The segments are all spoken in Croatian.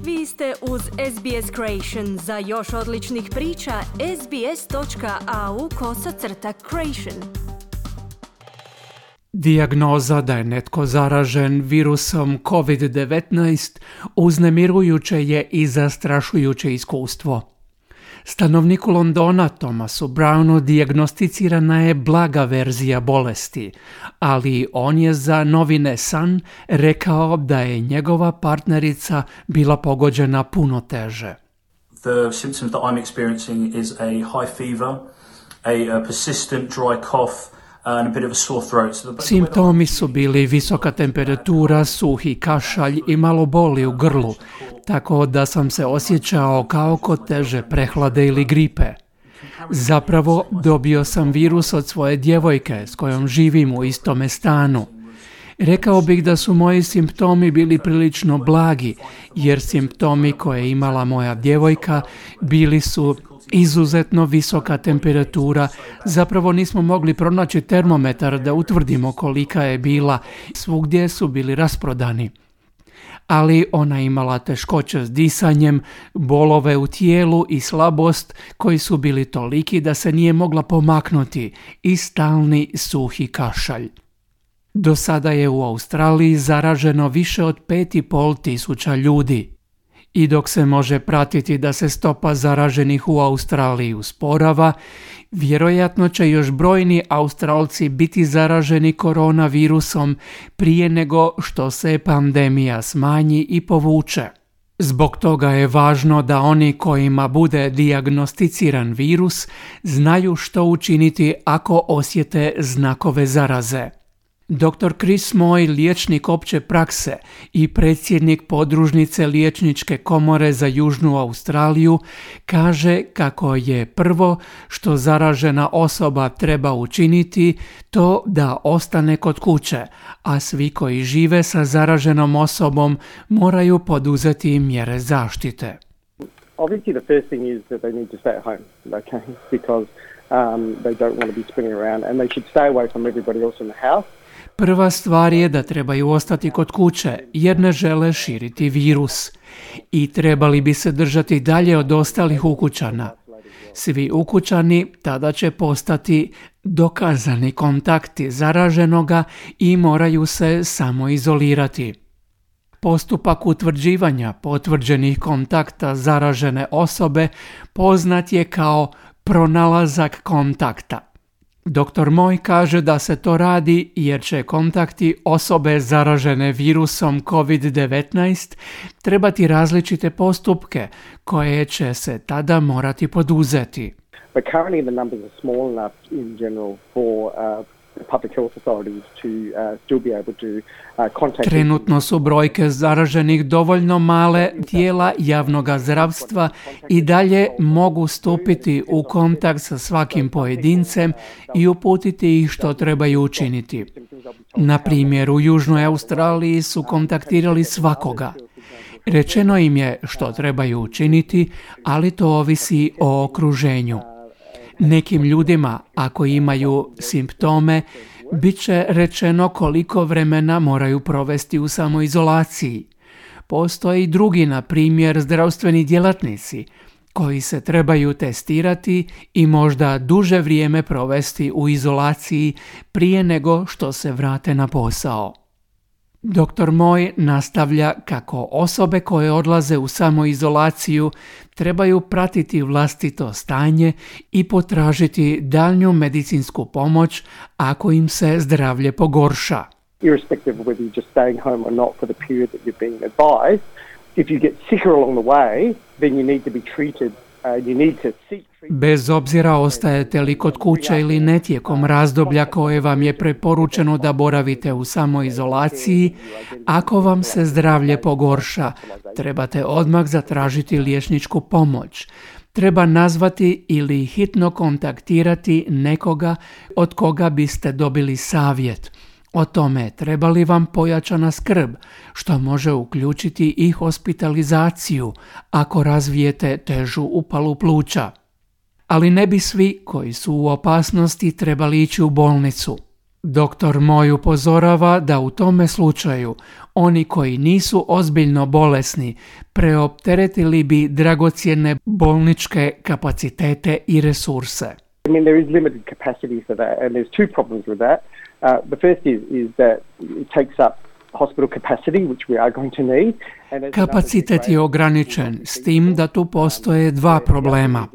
Vi ste uz SBS Creation. Za još odličnih priča, sbs.au/creation. Dijagnoza da je netko zaražen virusom COVID-19 uznemirujuće je i zastrašujuće iskustvo. Stanovniku Londona Thomasu Brownu dijagnosticirana je blaga verzija bolesti, ali on je za novine Sun rekao da je njegova partnerica bila pogođena puno teže. The symptoms that I'm experiencing is a high fever, a persistent dry cough, and a bit of a sore throat. Simptomi su bili visoka temperatura, suhi kašalj i malo boli u grlu, tako da sam se osjećao kao kod teže prehlade ili gripe. Zapravo dobio sam virus od svoje djevojke s kojom živim u istome stanu. Rekao bih da su moji simptomi bili prilično blagi, jer simptomi koje je imala moja djevojka bili su izuzetno visoka temperatura. Zapravo nismo mogli pronaći termometar da utvrdimo kolika je bila. Svugdje su bili rasprodani. Ali ona je imala teškoće s disanjem, bolove u tijelu i slabost koji su bili toliki da se nije mogla pomaknuti i stalni suhi kašalj. Do sada je u Australiji zaraženo više od 5.500 ljudi. I dok se može pratiti da se stopa zaraženih u Australiji usporava, vjerojatno će još brojni Australci biti zaraženi koronavirusom prije nego što se pandemija smanji i povuče. Zbog toga je važno da oni kojima bude dijagnosticiran virus znaju što učiniti ako osjete znakove zaraze. Dr. Chris Moy, liječnik opće prakse i predsjednik podružnice liječničke komore za Južnu Australiju, kaže kako je prvo što zaražena osoba treba učiniti to da ostane kod kuće, a svi koji žive sa zaraženom osobom moraju poduzeti mjere zaštite. Obviously, the first thing is that they need to stay at home, okay, because they don't want to be spinning around and they should stay away from everybody else in the house. Prva stvar je da trebaju ostati kod kuće jer ne žele širiti virus i trebali bi se držati dalje od ostalih ukućana. Svi ukućani tada će postati dokazani kontakti zaraženoga i moraju se samoizolirati. Postupak utvrđivanja potvrđenih kontakta zaražene osobe poznat je kao pronalazak kontakta. Dr. Moy kaže da se to radi jer će kontakti osobe zaražene virusom COVID-19 trebati različite postupke koje će se tada morati poduzeti. But currently the numbers are small enough in general for public health authorities to still be able to contact. Trenutno su brojke zaraženih dovoljno male, tijela javnog zdravstva i dalje mogu stupiti u kontakt sa svakim pojedincem i uputiti ih što trebaju učiniti. Na primjer, u Južnoj Australiji su kontaktirali svakoga. Rečeno im je što trebaju učiniti, ali to ovisi o okruženju. Nekim ljudima, ako imaju simptome, bit će rečeno koliko vremena moraju provesti u samoizolaciji. Postoje i drugi, na primjer, zdravstveni djelatnici, koji se trebaju testirati i možda duže vrijeme provesti u izolaciji prije nego što se vrate na posao. Dr. Moy nastavlja kako osobe koje odlaze u samoizolaciju trebaju pratiti vlastito stanje i potražiti daljnju medicinsku pomoć ako im se zdravlje pogorša. Irrespective of whether you're just staying home or not for the period that you're being advised, if you get sicker along the way, then you need to be treated. Bez obzira ostajete li kod kuće ili ne tijekom razdoblja koje vam je preporučeno da boravite u samoizolaciji, ako vam se zdravlje pogorša, trebate odmah zatražiti liječničku pomoć. Treba nazvati ili hitno kontaktirati nekoga od koga biste dobili savjet o tome treba li vam pojačana skrb, što može uključiti i hospitalizaciju ako razvijete težu upalu pluća. Ali ne bi svi koji su u opasnosti trebali ići u bolnicu. Doktor Moj upozorava da u tome slučaju oni koji nisu ozbiljno bolesni preopteretili bi dragocjene bolničke kapacitete i resurse. I mean, there is limited capacity for that, and there's two problems with that. The first is that it takes up hospital capacity, which we are going to need. Kapacitet je ograničen, s tim da tu postoje dva problema.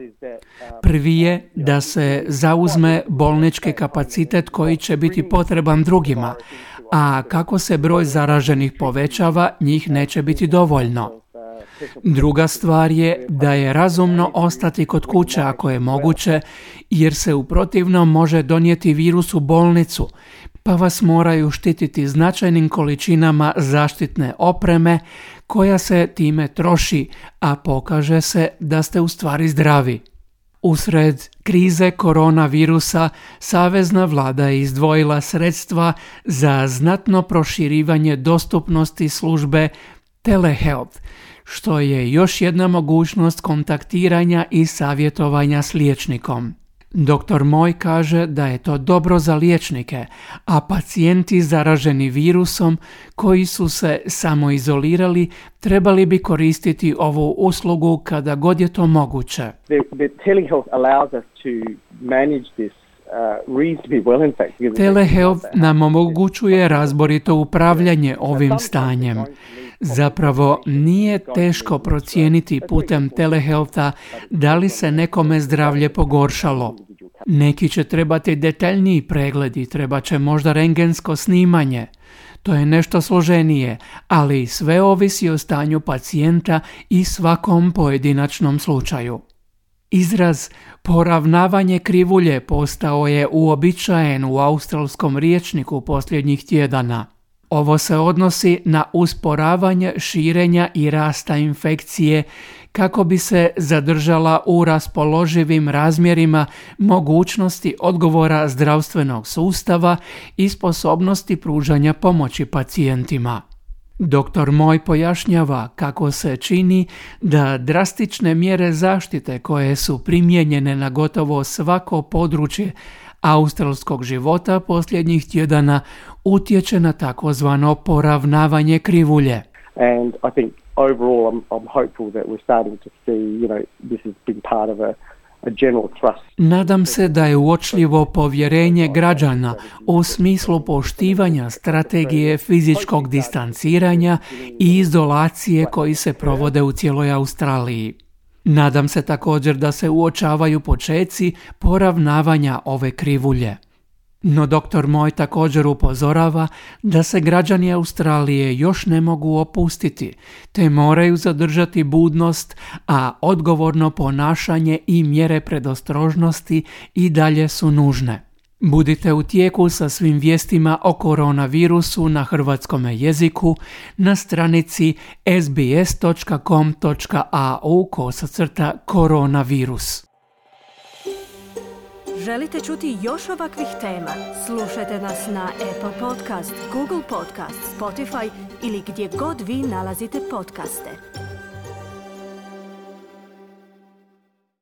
Prvi je da se zauzme bolnički kapacitet koji će biti potreban drugima, a kako se broj zaraženih povećava, njih neće biti dovoljno. Druga stvar je da je razumno ostati kod kuće ako je moguće, jer se u protivnom može donijeti virus u bolnicu, pa vas moraju štititi značajnim količinama zaštitne opreme koja se time troši, a pokaže se da ste u stvari zdravi. Usred krize koronavirusa, savezna vlada je izdvojila sredstva za znatno proširivanje dostupnosti službe telehealth, što je još jedna mogućnost kontaktiranja i savjetovanja s liječnikom. Dr. Moj kaže da je to dobro za liječnike, a pacijenti zaraženi virusom koji su se samoizolirali trebali bi koristiti ovu uslugu kada god je to moguće. The telehealth allows us to manage this reasonably well, in fact. Telehealth nam omogućuje razborito upravljanje ovim stanjem. Zapravo nije teško procijeniti putem telehealtha da li se nekome zdravlje pogoršalo. Neki će trebati detaljniji pregledi, treba će možda rentgensko snimanje. To je nešto složenije, ali sve ovisi o stanju pacijenta i svakom pojedinačnom slučaju. Izraz poravnavanje krivulje postao je uobičajen u australskom rječniku posljednjih tjedana. Ovo se odnosi na usporavanje širenja i rasta infekcije kako bi se zadržala u raspoloživim razmjerima mogućnosti odgovora zdravstvenog sustava i sposobnosti pružanja pomoći pacijentima. Dr. Moj pojašnjava kako se čini da drastične mjere zaštite koje su primijenjene na gotovo svako područje australskog života posljednjih tjedana utječe na takozvano poravnavanje krivulje. And I think overall I'm hopeful that we're starting to see, this has been part of a general thrust. Nadam se da je uočljivo povjerenje građana u smislu poštivanja strategije fizičkog distanciranja i izolacije koji se provode u cijeloj Australiji. Nadam se također da se uočavaju počeci poravnavanja ove krivulje. No dr. Moj također upozorava da se građani Australije još ne mogu opustiti, te moraju zadržati budnost, a odgovorno ponašanje i mjere predostrožnosti i dalje su nužne. Budite u tijeku sa svim vijestima o koronavirusu na hrvatskom jeziku na stranici sbs.com.au/koronavirus. Želite čuti još ovakvih tema? Slušajte nas na Apple Podcast, Google Podcast, Spotify ili gdje god vi nalazite podcaste.